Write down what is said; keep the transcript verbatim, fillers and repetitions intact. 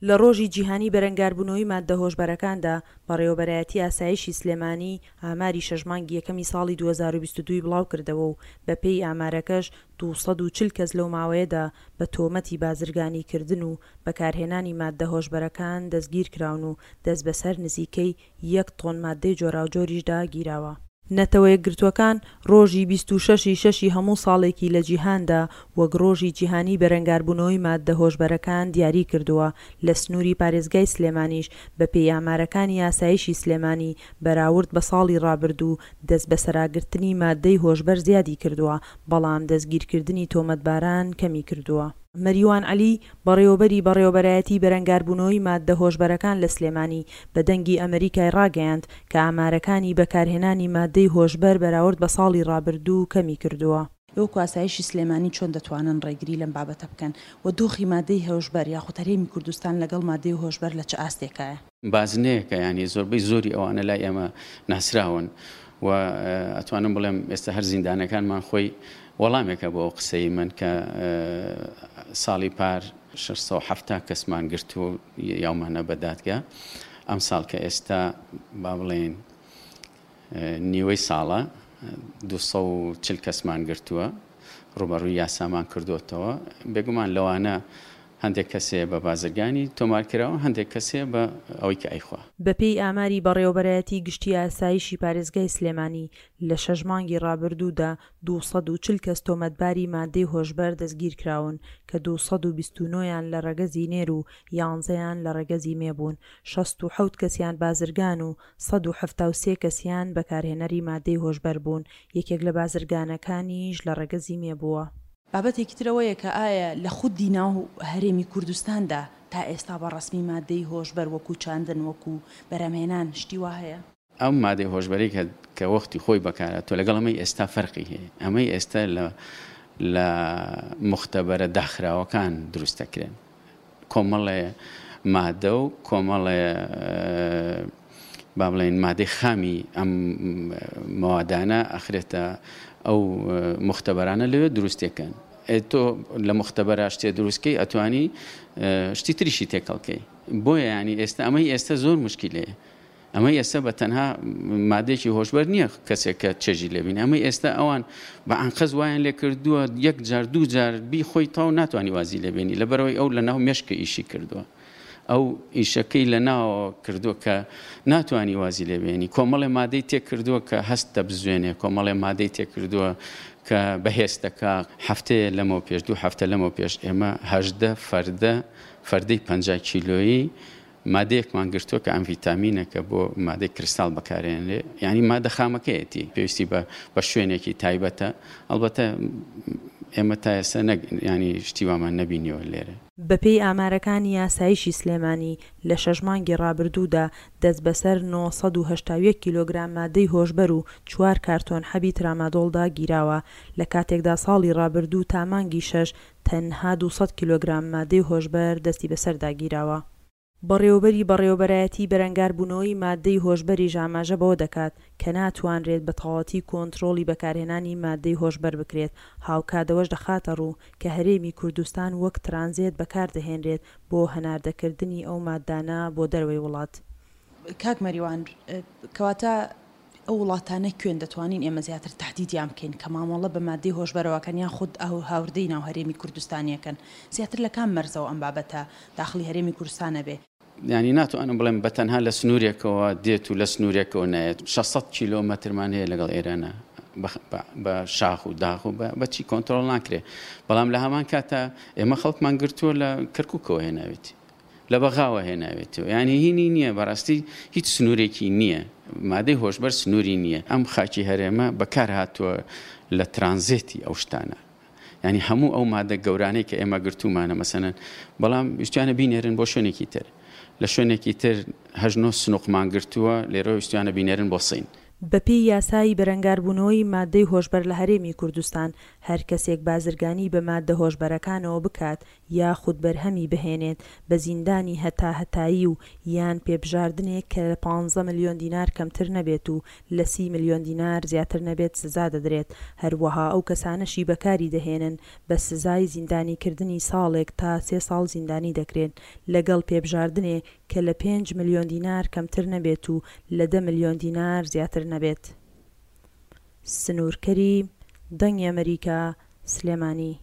لە ڕۆژی جیهانی بەرەنگاربوونەوەی ماددە هۆشبەرەکاندا، بەڕێوەبەرایەتی ئاسایشی سلێمانی ئاماری شەش مانگی یەکەمی ساڵی دوو هەزار و بیست و دوو ی بڵاوکردەوە و بەپێی ئامارەکەش دوو سەد و چل کەس لەو ماوەیەدا بە تۆمەتی بازرگانیکردن و بەکارهێنانی ماددە هۆشبەرەکان دەستگیرکراون و دەستبەسەر نزیکەی یەک تۆن ماددەی جۆراوجۆریشدا گیراوە. نەتەوەیەکگرتووەکان ڕۆژی بیست و شەش ی شەشی هەموو ساڵێکی لە جیهاندا وەک ڕۆژی جیهانی بەرەنگاربوونەوەی ماددە هۆشبەرەکان دیاری کردووە، لە سنووری پارێزگای سلێمانیش بەپێی ئامارەکانی ئاسایشی سلێمانی بەراورد بە ساڵی ڕابردوو دەستبەسەراگرتنی ماددەی هۆشبەر زیادی کردووە، بەڵام دەستگیرکردنی تۆمەتباران کەمی کردووە. مەریوان عەلی، بەڕێوەبەری بەڕێوەبەرایەتی بەرەنگاربوونەوەی ماددە هۆشبەرەکان لە سلێمانی بە دەنگی ئەمەریکای ڕاگەیاند کە ئامارەکانی بەکارهێنانی ماددەی هۆشبەر بەراورد بە ساڵی ڕابردوو کەمی کردووە. وەکو ئاسایشی سلێمانی چۆن دەتوانن ڕێگری لەم بابەتە بکەن و دۆخی ماددەی هۆشبەر یاخود هەرێمی کوردستان لەگەڵ ماددەی هۆشبەر لە چ ئاستێکایە؟ بازنەیەکە یانی زۆربەی زۆری ئەوانە لای ئێمە ناسراون و ئەتوانم بڵێم ئێستا هەر زیندانەکانمان خۆی وەڵامێکە بۆ ئەو قسەی من کە ساڵی پار شەش سەد و حەفتا کەسمان گرتووە و یاومانە بە دادگا، ئەمساڵ کە ئێستا با بڵێین نیوەی ساڵە دوو سەد و چل کەسمان گرتووە، ڕووبەڕووی یاسامان کردووەتەوە. بێگومان لەوانە هەندێک کەسێ بە بازرگانی تۆمار کراوە، هەندێک کەسێ بە ئەوەی کە ئەیخوا. بەپێی ئاماری بەڕێوەبەرایەتی گشتی ئاسایشی پارێزگای سلێمانی، لە شەش مانگی ڕابردوودا دوو سەد و چل کەس تۆمەتباری مادەی هۆشبەر دەستگیرکراون کە دوو سەد و بیست و نۆ یان لە ڕەگەزی نێر و یانزەیان لە ڕەگەزی مێ بوون، شەست و حەوت کەسیان بازرگان و سەد و حەفتا و سێ کەسیان بەکارهێنەری مادەی هۆشبەر بوون، یەکێک لە بازرگانەکانیش لە ڕەگەزی مێ بووە. بابەتێکی تر ئەوەیە کە ئایا لە خودی ناو هەرێمی کوردستاندا تا ئێستا بە ڕەسمی مادەی هۆشبەر وەکو چاندن وەکو بەرهەمهێنان شتی وا هەیە؟ ئەم مادەی هۆشبەرەی کە کە وەختی خۆی بەکارهاتووە لەگەڵ ئەمەی ئێستا فەرقی هەیە، ئەمەی ئێستا لە لە موختەبەرە داخراوەکان دروست دەکرێن، کۆمەڵێ مادە و کۆمەڵێ با بڵێین مادەی خامی ئەم مەوادانە ئەخرێتە ئەو موختەبەرانە لەوێ دروستێکەن. تۆ لە موختەبەرا شتێ دروستکەی ئەتوانی شتی تریشی تێکەڵکەی، بۆیە ینی ئێستا ئەمەی ئێستا زۆر مشکلەیە. ئەمەی ئێستا بە تەنها مادەیەکی هۆشبەر نییە کەسێک کە چێژی لێبینی، ئەمەی ئێستا ئەوان بە ئەنقەز وایان لێ کردووە یەک جار دوو جار بی خۆی تاو ناتوانانی وازی لێبێنی، لەبەرەوەی ئەو لەناو مێشکە ئیشی کردووە، ئەو ئیشەکەی لە ناوەوە کردووە کە ناتوانانی وازی لێبێنی، کۆمەڵێ مادەی تێ کردووە کە هەست دەبزوێنێ، کۆمەڵێ مادەی تێ کردووە کە بەهێز دەکا. هەفتەیە لەمەو پێش، دوو هەفتە لەمەو پێش ئێمە هەژدە فەردە فەردەی پەنجا کیلۆیی مادەیەکمان گرتووە کە ئەمڤیتامینە کە بۆ مادەی کریستاڵ بەکارێنرێ، یعنی مادە خامەکەیەتی، پێویستی بە بە شوێنێکی تایبەتە. ئەڵبەتە ئێمە تا ئێستا نەک ینی شتی وامان نەبینیوە لێرە. بەپێی ئامارەکانی ئاسایشی سلێمانی، لە شەش مانگی ڕابردوودا دەستبەسەر نۆ سەد و هەشتا و یەک کیلۆگرام مادەی هۆشبەر و چوار کارتۆن حەبی ترامادۆڵدا گیراوە، لە کاتێکدا ساڵی ڕابردوو تا مانگی شەش تەنها دوو سەد کیلۆگرام مادەی هۆشبەر دەستی بەسەردا گیراوە. بەڕێوەبەری بەڕێوەبەرایەتی بەرەنگاربوونەوەی ماددەی هۆشبەریش ئاماژە بەوە دەکات کە ناتوانرێت بە تەواوەتی کۆنترۆڵی بەکارهێنانی ماددەی هۆشبەر بکرێت، هاوکات ئەوەش دەخاتەڕوو کە هەرێمی کوردستان وەک ترانزێت بەکاردەهێنرێت بۆ هەناردەکردنی ئەو ماددانە بۆ دەرەوەی وڵات. کاک مەریوان، کەواتە ئەو وڵاتانە کوێن دەتوانین ئێمە زیاتر تەهدیدیان بکەین کە مامەڵە بە ماددەی هۆشبەرەوە کەن یان خود هاوردەی ناو هەرێمی کوردستانیەکەن؟ زیاتر لە کام مەرزەوە ئەم بابەتە داخڵی هەرێمی کوردستانە بێ؟ یانی ناتوانم بڵێم بە تەنها لە سنوورێکەوە دێت و لە سنوورێکەوە نایەت. شەش سەد کیلۆمەترمان هەیە لەگەڵ ئێرانە بە شاخ و داغ و بە چی کۆنترۆڵ ناکرێ، بەڵام لە هەمان کاتا ئێمە خەڵکمان گرتووە لە کەرکووکەوە هێناوێتی، لە بەغاوە هێناوێتەوە، یعنی هینی نییە، بەڕاستی هیچ سنوورێکی نییە، مادەی هۆشبەر سنووری نییە. ئەم خاکی هەرێمە بەکار هاتووە لە ترانزێتی ئەو شتانە، یعنی هەموو ئەو مادە گەورانەی کە ئێمە گرتوومانە مەسەنەن، بەڵام ویستیانە بینێرن بۆ شوێنێکی تر، لە شوێنێکی تر هەژنۆ سنووقمان گرتووە، لێرە ویستیانە بینێرن بۆ سین. بەپێی یاسای بەرەنگاربوونەوەی ماددەی هۆشبەر لە هەرێمی کوردستان، هەر کەسێک بازرگانی بە ماددە هۆشبەرەکانەوە بکات یاخود بەرهەمی بهێنێت بە زیندانی هەتاهەتایی و یان پێبژاردنێک کە لە پانزە ملیۆن دینار کەمتر نەبێت و لە سی ملیۆن دینار زیاتر نەبێت سزا دەدرێت، هەروەها ئەو کەسانەشی بەکاری دەهێنن بە سزای زیندانیکردنی ساڵێک تا سێ ساڵ زیندانی دەکرێن لەگەڵ پێبژاردنێ کە لە پێنج ملیۆن دینار کەمتر نەبێت و لە دە ملیۆن دینار زیاتر نەبێت. سنوور کەریم، دەنگی ئەمەریکا، سلێمانی.